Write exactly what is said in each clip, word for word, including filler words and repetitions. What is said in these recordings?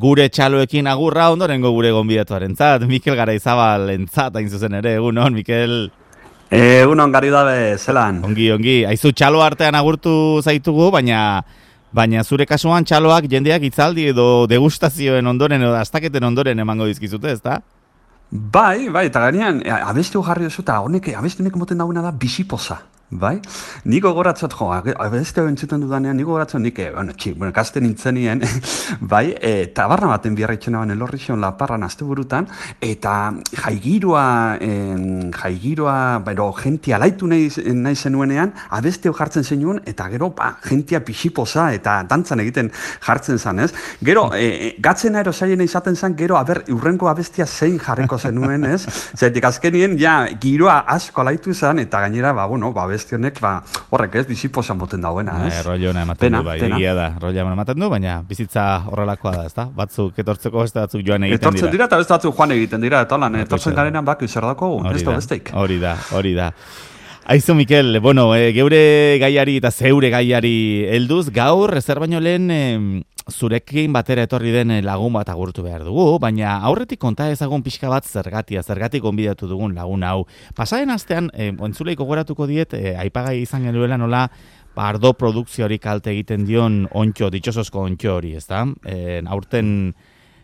Gure txaloekin agurra ondorengo gure gonbidatuarentzat, Mikel Garaizabalentzat hain zuzen ere, egunon, Mikel. Egunon, gari dabe, zelan? Ongi, ongi. Aizu, txalo artean agurtu zaitugu, baina baina zure kasuan txaloak jendeak itzaldi edo degustazioen ondoren edo astaketen ondoren emango dizkizute, ezta? Bai, bai, eta gainean, abestu jarri duzu, eta honek, abestu honek moten dagoena da bisipoza. Bai? Niko goratzot, jo, abeste entzuten dudanean, niko goratzot, nik, bueno, txik, bueno, kasten nintzenien, bai, e, tabarna baten biarritxena banen lorrixion laparran azte burutan, eta jaigiroa, en, jaigiroa, bero, jentia laitu nahi, nahi zenuenean, abeste jartzen zenuen, eta gero, ba, jentia pixipoza, eta dantzan egiten jartzen zen, ez? Gero, e, gatzena ero zailena izaten zen, gero, aber, urrenko abestia zein jarriko zenuen, ez? Zaitik, azkenien, ja, giroa asko laitu zen, eta gainera, ba, bueno, ba, bestionek, ba, horrek ez, biziposan moten dauena, ez? E, Rollo ematen du, bai, egia da, rollo ematen du, baina bizitza horrelakoa da, ezta? Batzuk etortzeko, beste batzuk joan egiten dira. Etortzen dira, eta beste batzuk joan egiten dira, eta holan, etortzen garenan bak, zer dako, ez da besteik. Hori da, hori da. Aizu, Mikel, bueno, e, geure gaiari eta zeure gaiari helduz, gaur, ezer baino lehen, e, zurekin batera etorri den lagun bat agurtu behar dugu, baina aurretik konta ezagun pixka bat zergatia, zergatik gonbidatu dugun lagun hau. Pasaren astean, e, ontzuleiko goratuko diet, e, aipagai izan genuela nola, ardo produkzioari kalte egiten dion ontxo, ditxosozko ontxo hori, ezta? E, aurten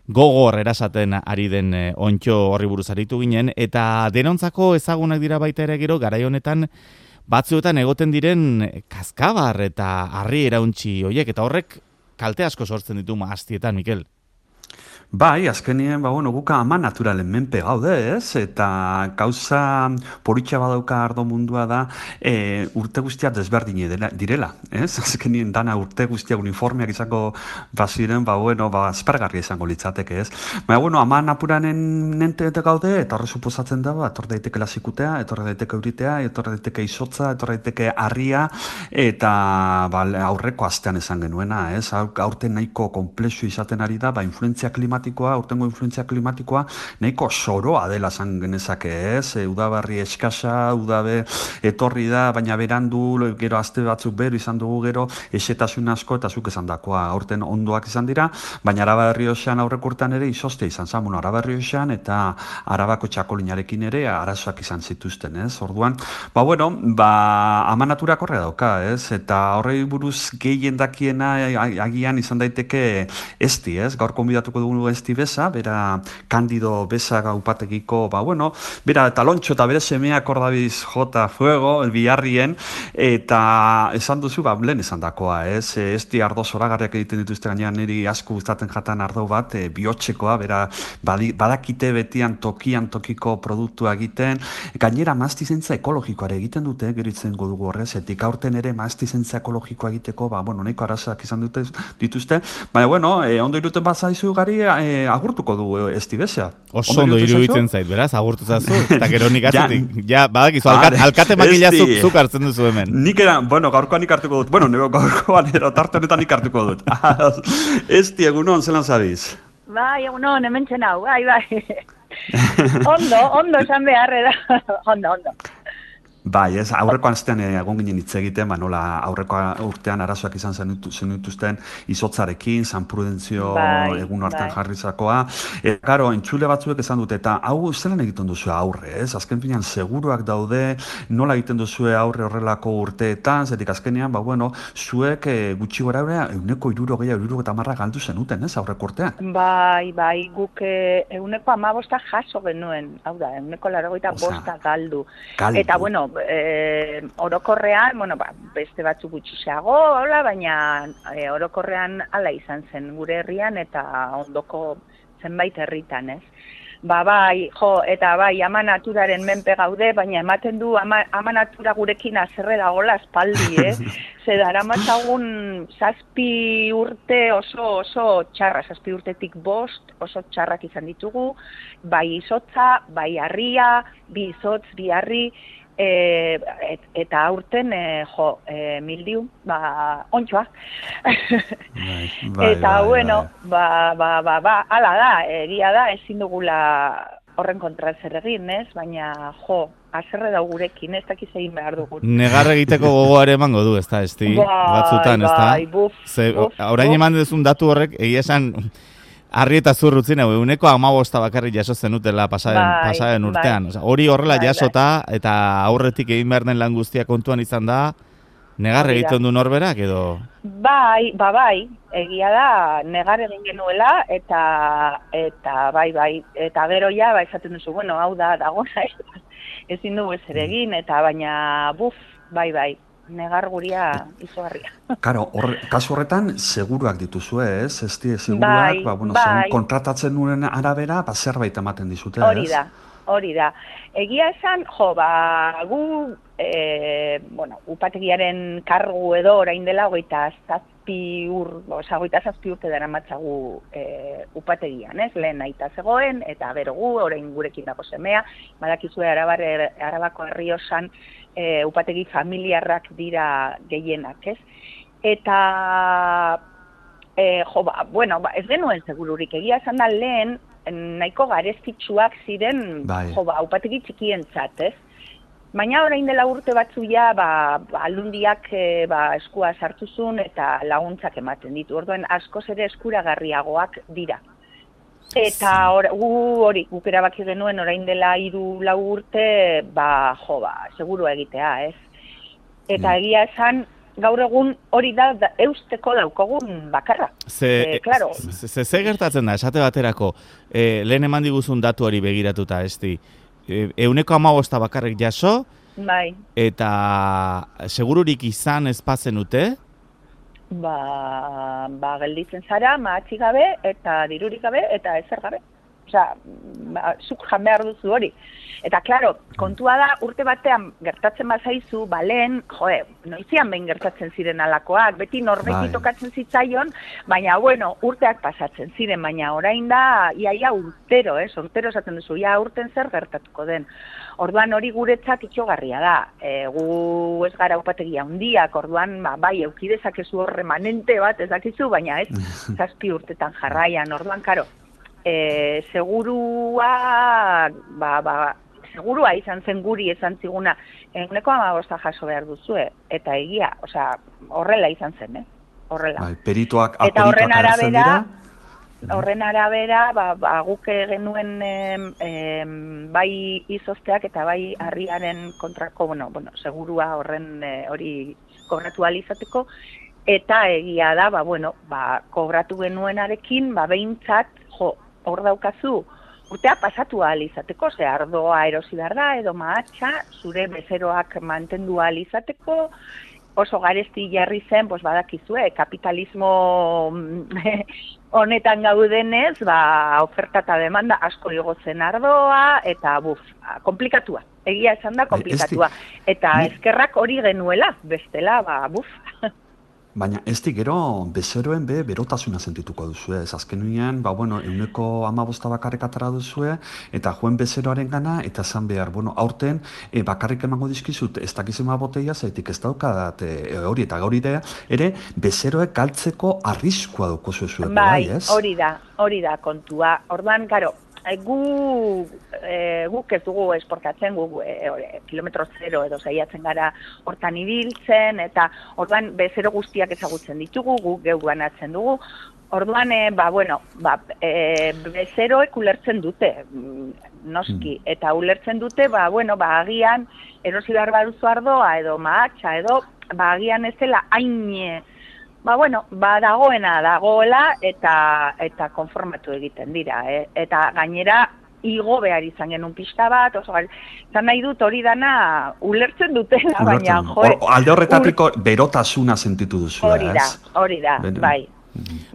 gogor erasaten ari den e, ontxo horri buruz aritu ginen, eta denontzako ezagunak dira baita ere gero, garai honetan, batzuetan egoten diren kaskabar eta harri erauntzi horiek, eta horrek kalte asko sortzen ditu maaztietan, Mikel. Bai, azkenien, ba, bueno, guka ama naturalen menpe gaude, ez? Eta gauza poritxa badauka ardo mundua da, e, urte guztia desberdine direla, ez? Azkenien dana urte guztia uniformeak izango baziren, ba, bueno, ba, aspergarria izango litzateke, ez? Baina, bueno, ama naturanen nente gaude, eta horre suposatzen da, ba, etor daiteke lasikutea, etor daiteke euritea, etor daiteke izotza, etor daiteke harria, eta ba, aurreko astean esan genuena, ez? Aurten nahiko komplexu izaten ari da, ba, influentzia klimatikoa, urtengo influentzia klimatikoa, nahiko soroa dela zan genezake, ez? E, udabarri eskasa, udabe etorri da, baina berandu, gero aste batzuk bero izan dugu gero, esetasun asko eta zuk esan dakoa, aurten ondoak izan dira, baina Araba Errioxan aurrek urtean ere izozte izan zan, bueno, Araba Errioxan eta Arabako txakolinarekin ere arazoak izan zituzten, ez? Orduan, ba, bueno, ba, ama naturak horre dauka, ez? Eta horrei buruz gehien dakiena agian izan daiteke esti, ez? Gaur konbidatuko dugu esti beza, bera Kandido beza gaupategiko, ba, bueno, bera Talontxo eta bere semeak ordabiz jota fuego, biharrien, eta esan duzu, ba, lehen esan dakoa, ez? Esti ardo zoragarriak egiten dituzte gainean niri asko gustatzen jatan ardo bat, e, bihotxekoa, bera badi, badakite betian tokian tokiko produktua egiten, gainera maztizentza ekologikoare egiten dute, geritzen godugu horrez, etik aurten ere maztizentza ekologikoa egiteko, ba, bueno, nahiko arazoak izan dute, dituzte, baina, bueno, e, ondo iruten bat zaizu gari, e, agurtuko du esti bezea. Oso ondo iruditzen zait, beraz, agurtu zazu, eta gero nik atzetik. Ja, badakizu, alkate, alkate makila zuk, zuk hartzen duzu hemen. Nik eran, bueno, gaurkoan nik hartuko dut. Bueno, nego gaurkoan ero, tarte honetan nik hartuko dut. Esti, egunon, zelan zabiz? Bai, egunon, hemen txenau, bai, bai. Ondo, ondo esan beharre da. Ondo, ondo. Bai, ez, aurreko astean egon ginen hitz egiten, ba, nola aurreko urtean arazoak izan zenituzten izotzarekin, San Prudentzio bai, egun hartan bai. Jarrizakoa. Eta, karo, entzule batzuek esan dute, eta hau zelan egiten duzu aurre, ez? Azken finean, seguruak daude, nola egiten duzu aurre horrelako urteetan, zetik azkenean, ba, bueno, zuek e, gutxi gora eurea, euneko iruro gehiago, iruro eta marra galdu zenuten, ez, aurreko urtean? Bai, bai, guk e, euneko amabosta jaso genuen, hau da, euneko laragoita bosta galdu. galdu. Eta, bueno, E, orokorrean, bueno, ba, beste batzuk gutxiago, hola, baina e, orokorrean hala izan zen gure herrian eta ondoko zenbait herritan, ez? Ba, bai, jo, eta bai, ama naturaren menpe gaude, baina ematen du ama, ama natura gurekin azerre dagoela espaldi, eh? Ze daramatzagun zazpi urte oso oso txarra, zazpi urtetik bost oso txarrak izan ditugu, bai izotza, bai harria, bi izotz, bi harri, E, et, eta aurten e, jo, e, mildiu, ba, ontxoa. Bai, bai, eta, bai, bueno, bai. ba, ba, ba, ba, ala da, egia da, ezin dugula horren kontra zer egin, ez? Baina, jo, azerre da gurekin, ez dakiz egin behar dugu. Negar egiteko gogoare emango du, ez da, esti, batzutan, ez da? Bai, buf, Ze, buf, orain buf. eman duzun datu horrek, egia esan, Arri eta zurrutzin, eguneko hamabosta bakarrik jaso zenutela pasaren, bai, pasaren urtean. Bai. Osa, hori horrela bai, jasota, bai. Eta aurretik egin behar den lan guztia kontuan izan da, negar egiten du norberak edo? Bai, ba bai, egia da, negar egin genuela, eta eta bai, bai, eta gero ja, ba, esaten duzu, bueno, hau da, dagona, ezin dugu ezer egin, eta baina, buf, bai, bai, negar guria izugarria. Karo, hor, kasu horretan, seguruak dituzu, ez? Ez die seguruak, bai, ba, bueno, bai. kontratatzen nuen arabera, ba, zerbait ematen dizute, ez? Hori da, hori da. Egia esan, jo, ba, gu, e, bueno, upategiaren kargu edo orain dela, hogeita zazpi ur, oza, hogeita zazpi urte dara matzagu e, upategian, ez? Lehen aita zegoen, eta bero gu, orain gurekin dago semea, badakizue Arabar, Arabako Errioxan, e, upategi familiarrak dira gehienak, ez? Eta, e, jo, ba, bueno, ba, ez genuen segururik, egia esan da lehen, nahiko garestitsuak ziren, bai. Jo, ba, upategi txikientzat, ez? Baina orain dela urte batzu ja, ba, ba, aldundiak e, ba, eskua sartuzun eta laguntzak ematen ditu. Orduan askoz ere eskuragarriagoak dira. Eta or, gu hori, guk erabaki genuen orain dela hiru lau urte, ba, jo, ba, seguru egitea, ez? Eta mm. egia esan, gaur egun hori da, da eusteko daukogun bakarra. Ze, e, claro. ze, ze, ze gertatzen da, esate baterako, e, lehen eman diguzun datu hori begiratuta, esti, e, euneko hamabosta bakarrik jaso, bai. Eta segururik izan ezpazen ute? Ba, ba, gelditzen zara, mahatxi gabe, eta dirurik gabe, eta ezer gabe. Osea, ba, zuk jan behar duzu hori. Eta, klaro, kontua da, urte batean gertatzen bazaizu, ba, lehen, joe, noizian behin gertatzen ziren alakoak, beti norbeti tokatzen zitzaion, baina, bueno, urteak pasatzen ziren, baina orain da, iaia urtero, eh, urtero esaten duzu, ia urten zer gertatuko den. Orduan hori guretzat itxogarria da, e, gu ez gara upategia handiak, orduan, ba, bai, eukidezakezu hor remanente bat ezakizu, baina ez, zazpi urtetan jarraian, orduan, karo, e, segurua, ba, ba, segurua izan zen guri esan ziguna, eguneko hamabosta jaso behar duzue, eta egia, osea, horrela izan zen, eh? Horrela. Bai, perituak, eta horren agertzen arabera, dira? Horren arabera, ba, ba, guk genuen em, em, bai izozteak eta bai harriaren kontrako, bueno, bueno, segurua horren e, hori kobratu ahal izateko, eta egia da, ba, bueno, ba, kobratu genuenarekin, ba, behintzat, jo, hor daukazu, urtea pasatu ahal izateko, ze ardoa erosi behar da, edo mahatxa, zure bezeroak mantendu ahal izateko, oso garesti jarri zen, pues badakizue, kapitalismo honetan gaudenez, ba, oferta eta demanda asko igotzen ardoa, eta buf, komplikatua. Egia esan da komplikatua. Eta eskerrak hori genuela, bestela, ba, buf. Baina ez di gero bezeroen be berotasuna sentituko duzue, ez azkenean, ba bueno, euneko hamabosta bakarrik atara duzue, eta joen bezeroaren gana, eta zan behar, bueno, aurten e, bakarrik emango dizkizut, ez dakizema boteia, zaitik ez daukadat e, hori eta gauri ere, ere bezeroek galtzeko arriskua duko zuen, bai, ez? Hori da, hori da kontua. Orduan, karo, gu, e, guk ez dugu esportatzen, gu e, e, kilometro zero edo saiatzen gara hortan ibiltzen, eta orduan bezero guztiak ezagutzen ditugu, guk geu banatzen dugu. Orduan, e, ba, bueno, ba, e, bezeroek ulertzen dute, noski, mm. eta ulertzen dute, ba, bueno, ba, agian erosi behar baduzu ardoa edo mahatxa edo, ba, agian ez dela hain, ba, bueno, ba, dagoena dagoela eta eta konformatu egiten dira, eh? Eta gainera igo behar izan genuen pixka bat, oso zan nahi dut hori dana ulertzen dutela, baina, joe... Alde horretatiko ur... berotasuna sentitu duzu, hori da, hori da, bai.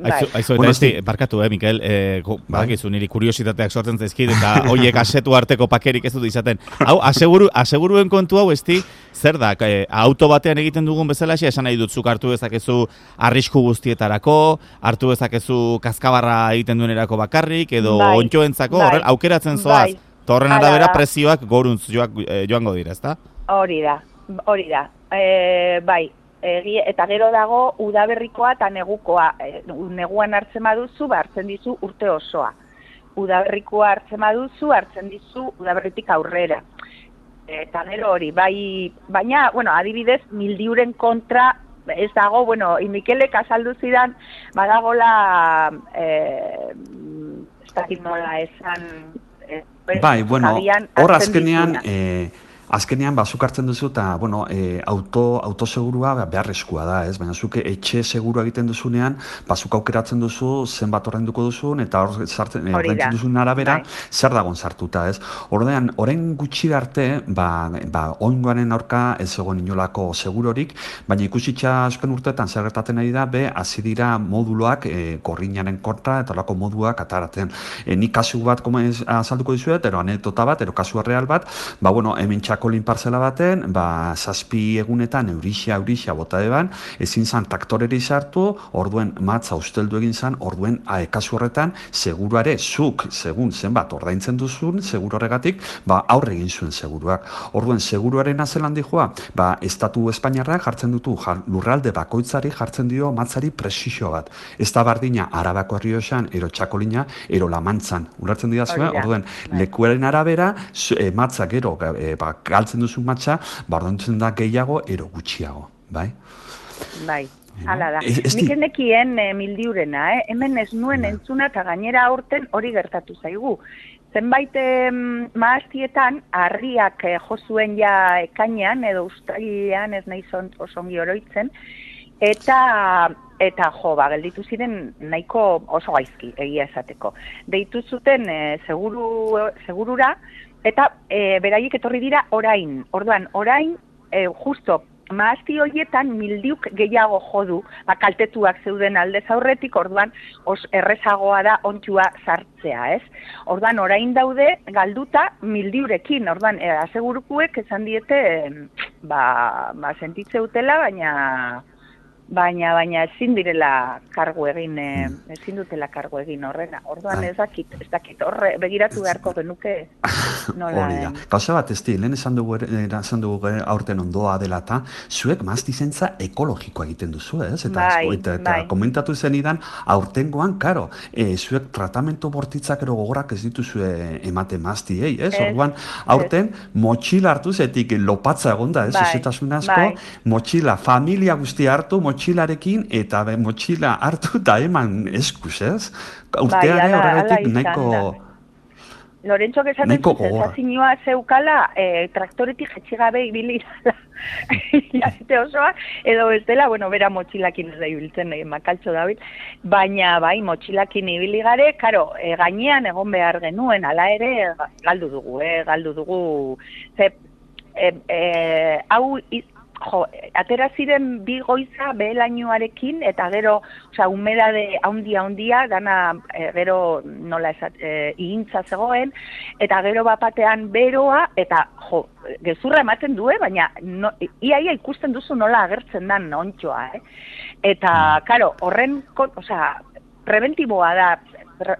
Aizu, aizu, eta esti, barkatu, eh, Mikel, eh, badakizu niri kuriositateak sortzen zaizkit, eta hoiek asetu arteko pakerik ez dut izaten. Hau, aseguru, aseguruen kontu hau, esti, zer da, eh, auto batean egiten dugun bezalaxe, esan nahi dut, zuk hartu dezakezu arrisku guztietarako, hartu dezakezu kaskabarra egiten duenerako bakarrik, edo bai, ontxoentzako, bai, horrel, aukeratzen zoaz, bai, torren arabera prezioak goruntz joak, eh, joango dira, ezta? Hori da, hori da, e, bai. Egi, eta gero dago udaberrikoa eta negukoa. E, neguan hartzen baduzu, ba, hartzen dizu urte osoa. Udaberrikoa hartzen baduzu, hartzen dizu udaberritik aurrera. Eta gero hori, bai, baina, bueno, adibidez, mildiuren kontra ez dago, bueno, Mikelek azaldu zidan, badagola, eh, ez dakit nola esan, eh, bai, bueno, hor azkenean, eh, azkenean bazuk hartzen duzu eta bueno, e, auto, autosegurua beharrezkoa da, ez? Baina zuke etxe segurua egiten duzunean, bazuk aukeratzen duzu zenbat ordainduko duzun eta hor sartzen ordaintzen duzun arabera bai. Zer dagon sartuta, ez? Ordean, orain gutxi arte, ba, ba ongoaren aurka ez egon inolako segurorik, baina ikusitza azken urteetan zer gertatzen ari da, be hasi dira moduloak e, gorrinaren kontra eta horrelako moduak ataratzen. E, ni kasu bat azalduko dizuet, ero anekdota bat, ero kasu real bat, ba bueno, hemen kolin parcela baten, ba, zazpi egunetan eurixa, eurixa bota eban, ezin zan traktoreri sartu, orduen matza usteldu egin zan, orduen kasu horretan, seguruare zuk, segun zenbat ordaintzen duzun, seguru horregatik, ba, aurre egin zuen seguruak. Orduen, seguruaren azelan dijoa, ba, Estatu Espainiarrak jartzen dutu, jar, lurralde bakoitzari jartzen dio matzari presizio bat. Ez da bardina, Arabako Errioxan, ero Txakolina, ero Lamantzan. Ulertzen dira zuen, orduen, lekuaren arabera, e, matza gero, e, ba, galtzen duzu matxa, bardontzen da gehiago, ero gutxiago, bai? Bai, hala da. Nik endekien e, mildiurena, eh? Hemen ez nuen bai. Entzuna eta gainera aurten hori gertatu zaigu. Zenbait eh, maaztietan, harriak eh, jozuen ja ekainean, edo ustailean ez nahi osongi oroitzen, eta eta jo, ba, gelditu ziren nahiko oso gaizki, egia esateko. Deitu zuten e, seguru, segurura, eta e, beraiek etorri dira orain. Orduan, orain, e, justo, maazti horietan mildiuk gehiago jodu, ba, kaltetuak zeuden aldez aurretik, orduan, os errezagoa da ontsua sartzea, ez? Orduan, orain daude, galduta mildiurekin, orduan, e, asegurukuek esan diete, e, ba, ba, sentitze utela, baina... Baina, baina ezin direla kargu egin, eh, ezin dutela kargu egin horrena. Orduan ez dakit, ez dakit, horre, begiratu beharko genuke nola. Hori da. Gauza bat, ez di, lehen esan dugu, esan dugu aurten ondoa dela eta zuek maztizentza ekologikoa egiten duzu, ez? Eta, bai, eta, eta bai. komentatu zenidan, aurtengoan, karo, e, zuek tratamentu bortitzak ero gogorak ez dituzue emate maztiei, ez? ez Orduan, aurten, ez. Motxila hartu zetik lopatza egonda, ez? Bai, Zetasun asko, bai. Motxila, familia guztia hartu, motxilarekin eta be, motxila hartu eta eman eskuz, ez? Urteare horregatik nahiko... Lorentzok esaten zensazioa zeukala e, traktoretik jetxigabe ibili jazte osoa, edo ez dela, bueno, bera motxilakin ez da ibiltzen, e, makaltxo dabil, baina bai, motxilakin ibili gare, karo, e, gainean egon behar genuen, ala ere, galdu dugu, e, galdu dugu, ze, e, e, hau... Jo, atera ziren bi goiza behelainoarekin eta gero, osea, humedade handia handia, dana e, gero nola esat, e, ihintza zegoen, eta gero bapatean beroa, eta jo, gezurra ematen du, baina no, iaia ikusten duzu nola agertzen dan ontsoa, eh? Eta, karo, horren, osea, preventiboa da,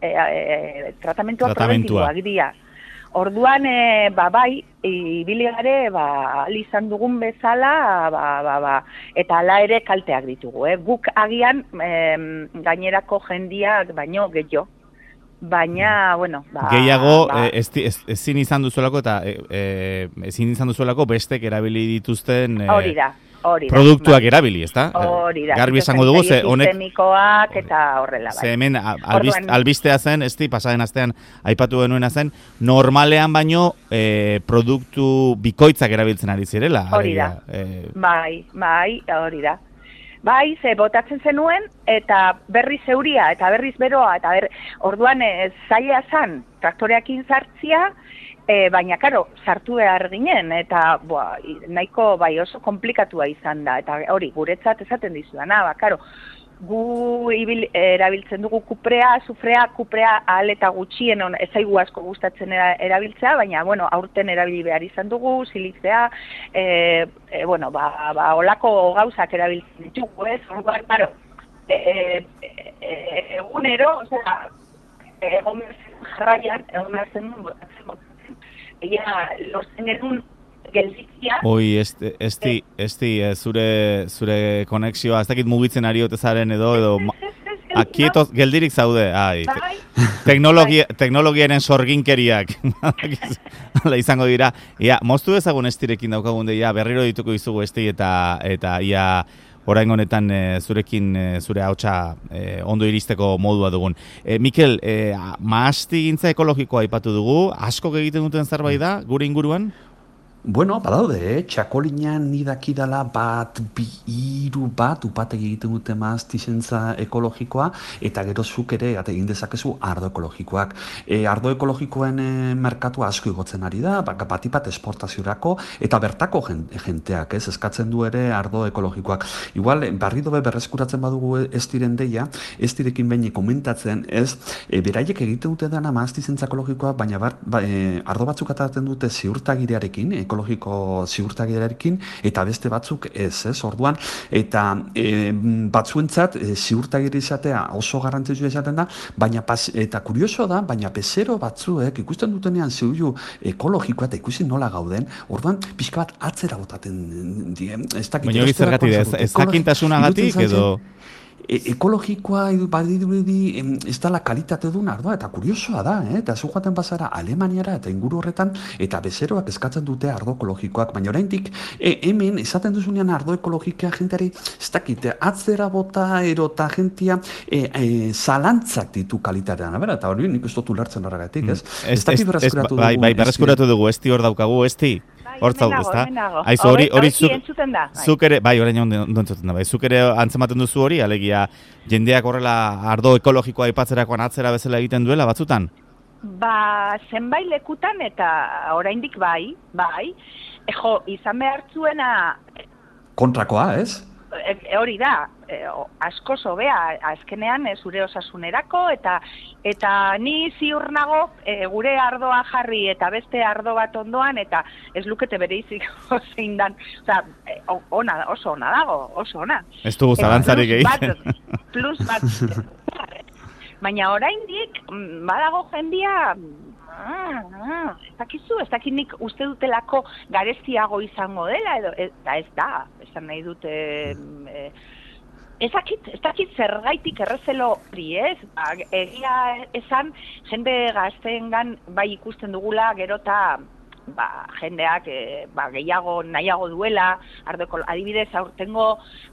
e, e, tratamentua preventiboa dira. Orduan, e, ba, bai, ibili gare, ba, izan dugun bezala, ba, ba, ba, eta ala ere kalteak ditugu. Eh? Guk agian e, gainerako jendiak baino gehiago. Baina, bueno... Ba, gehiago, ba, ez, ez, ezin izan duzuelako eta e, e, ezin izan duzuelako bestek erabili dituzten... E, hori da. Hori da, produktuak bai. Erabili, ezta? Hori da. Garbi esango dugu, ze honek... Sistemikoak eta horrela, bai. Ze hemen albist, albistea zen, ez di, pasaden astean aipatu genuena zen, normalean baino e, produktu bikoitzak erabiltzen ari zirela. Hori da. E... Bai, bai, hori da. Bai, ze botatzen zenuen, eta berriz euria, eta berriz beroa, eta ber... orduan ez zaila zan, traktoreakin sartzia, e, baina, karo, sartu behar ginen, eta boa, nahiko bai oso komplikatua izan da, eta hori, guretzat esaten dizudana, ba, karo, gu ibil, erabiltzen dugu kuprea, sufrea, kuprea ahal eta gutxien on, ezaigu asko gustatzen erabiltzea, baina, bueno, aurten erabili behar izan dugu, silizea, e, e, bueno, ba, ba, olako gauzak erabiltzen ditugu, ez? Orduan, claro, e, e, e, egunero, osea, egon berzen jarraian, egon berzen duen, botatzen, botatzen, egia, lortzen genuen, gelditzia. Oi, esti, esti, esti zure, zure konexioa, ez dakit mugitzen ari otezaren edo, edo, akietoz, geldirik zaude, ai, teknologia, teknologiaren sorginkeriak, hala izango dira, ia, moztu ezagun estirekin daukagun deia, berriro dituko izugu esti eta, eta ia, orain honetan e, zurekin e, zure ahotsa e, ondo iristeko modua dugun. E, Mikel, e, mahastigintza ekologikoa aipatu dugu, asko egiten duten zerbait da gure inguruan? Bueno, badaude, eh? Txakolinean nidakidala bat, bi, iru bat, upategi egiten dute mahastizentza ekologikoa, eta gero zuk ere, egin dezakezu, ardo ekologikoak. E, ardo ekologikoen e, merkatua asko igotzen ari da, bat bat esportaziorako, eta bertako jenteak, ez, eskatzen du ere ardo ekologikoak. Igual, barri dobe berreskuratzen badugu ez diren deia, ez direkin behin komentatzen, ez, e, beraiek egiten dute dana mahastizentza ekologikoa, baina bar, ba, e, ardo batzuk atatzen dute ziurtagirearekin, ekologiko ziurtagirearekin, eta beste batzuk ez, ez, orduan, eta e, batzuentzat e, ziurtagire izatea oso garrantzitsua izaten da, baina pas, eta kurioso da, baina bezero batzuek ikusten dutenean ziurju ekologikoa eta ikusi nola gauden, orduan pixka bat atzera botaten die. Baina hori zergatik ez, ez jakintasunagatik edo... E ekologikoa badirudi ez dela kalitate duen ardoa, eta kuriosoa da, eh? Eta zu joaten bazara Alemaniara eta inguru horretan, eta bezeroak eskatzen dute ardo ekologikoak, baina oraindik e, hemen esaten duzunean ardo ekologikoa jenteari ez dakite, atzera bota erota jentia e, e, zalantzak ditu kalitatean, abera, eta hori nik ez dut ulertzen horregatik, ez? Ez, ez, ez, ez, bai, bai, berreskuratu dugu, ez hor daukagu, ez di? Hortzau, ezta? Aizu, hori, hori zuk, zuk ere, bai, orain ondo entzuten da, bai, zuk ere antzematen duzu hori, alegia, jendeak horrela ardo ekologikoa aipatzerakoan atzera bezala egiten duela, batzutan? Ba, zenbait lekutan eta oraindik bai, bai, ejo, izan behar zuena... Kontrakoa, ez? E, hori da, e, asko zobea, azkenean e, zure osasunerako, eta eta ni ziur nago e, gure ardoa jarri eta beste ardo bat ondoan, eta ez lukete bereizik zein dan, oza, e, ona, oso ona dago, oso ona. Ez dugu zalantzarik egiten. Plus bat, baina oraindik badago jendia... Ah, ah, ez dakizu, ez dakit nik uste dutelako garestiago izango dela, edo, eta ez da, esan nahi dute, e, ez dakit, ez dakit zergaitik errezelo hori, ez? Ba, egia esan, jende gazteengan bai ikusten dugula, gero eta ba, jendeak e, ba, gehiago nahiago duela, ardeko, adibidez, aurtengo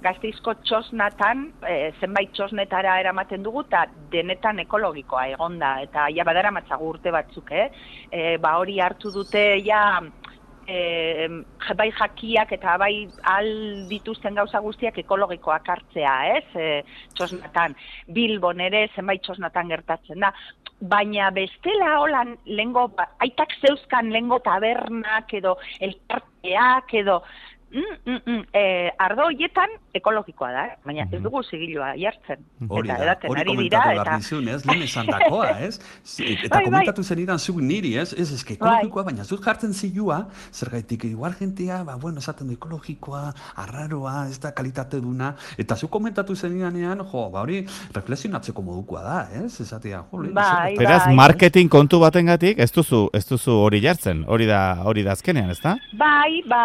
Gasteizko txosnatan, e, zenbait txosnetara eramaten dugu, eta denetan ekologikoa egonda, eta ja badara matzagu urte batzuk, eh? E, ba hori hartu dute, ja, e, bai jakiak eta bai al dituzten gauza guztiak ekologikoak hartzea, ez? E, txosnatan, Bilbon ere zenbait txosnatan gertatzen da, baina bestela holan lengo, aitak zeuzkan lengo tabernak edo elkarteak edo mm, mm, mm, eh, ardo hoietan ekologikoa da, eh? Baina ez dugu zigilua jartzen. Hori da, hori komentatu behar nizun, ez? Lehen esan dakoa, ez? Eta komentatu zenidan zuk niri, ez? Ez, ez, ekologikoa, baina zut jartzen zilua, zergaitik igual jentia, ba, bueno, esaten du ekologikoa, arraroa, ez da kalitate duna, eta zuk komentatu zenidanean, jo, ba, hori reflexionatzeko modukoa da, ez? Esatia, jo, lehen, bai, beraz, bai, marketing kontu batengatik ez duzu, ez duzu hori jartzen, hori da, hori da azkenean, ez da? Bai, ba,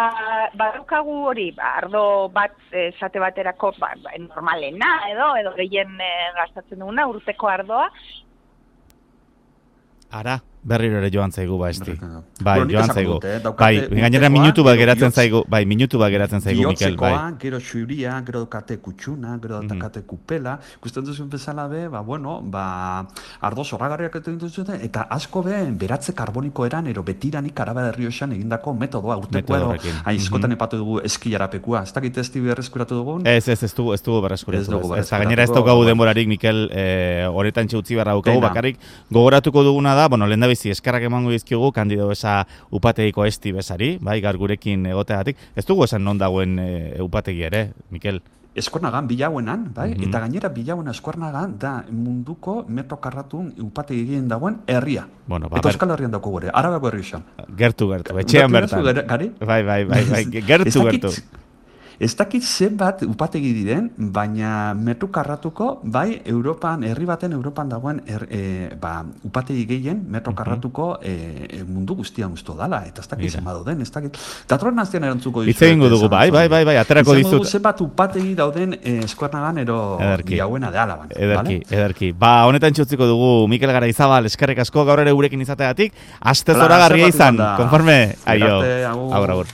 barukagu hori, ba, ardo bat, esate baterako, ba, normalena, edo, edo gehien e, gastatzen duguna, urteko ardoa. Ara, berriro ere joan zaigu, ba, esti. Bai, bueno, joan zaigu. Dute, eh? Bai, gainera minutu bat geratzen zaigu, bai, minutu bat geratzen zaigu, Mikel, bai. Gero xuria, gero daukate kutxuna, gero daukate mm-hmm. kupela, ikusten duzuen bezala be, ba, bueno, ba, ardo zorragarriak egiten duzuen, eta asko be, beratze karboniko eran, ero betiranik Araba Errioxan egindako metodoa, urteko edo, aizkotan mm-hmm. epatu dugu eskilarapekua, ez dakit ez tibi berreskuratu dugun? Ez, ez, ez dugu, ez dugu berreskuratu. Ez, gainera ez daukagu denborarik, Mikel, horretan txutzi barra daukagu, bakarrik gogoratuko duguna da, bueno, lehen da bizi, eskarrak emango dizkigu kandido esa upategiko esti besari, bai, gaur gurekin egoteagatik. Ez dugu esan non dagoen e, upategi ere, Mikel? Eskuernagan bilauenan, bai, mm-hmm. eta gainera bilauena Eskuernagan da munduko metro karratun upategi egin dagoen herria. Bueno, ba, eta Euskal Herrian dauko gore, Arabako Errioxan. Gertu, gertu, etxean bertan. Gari? Bai, bai, bai, bai, gertu, gertu. Ez dakit zenbat upategi diren, baina metro karratuko, bai, Europan, herri baten Europan dagoen er, e, ba, upategi gehien metro karratuko e, mundu guztian usto dala, eta ez dakit zenbat dauden, ez dakit. Datroen naztian erantzuko dizu. Itzegingo dugu, bai, bai, bai, bai, aterako dizut. Izango zenbat upategi dauden e, Eskuernagan ero bilauena de Alaban. Ederki, vale? Ederki. Ba, honetan txutziko dugu Mikel Garaizabal, eskerrik asko gaur ere gurekin izateagatik, aste zoragarria izan, konforme, aio, agur, agur.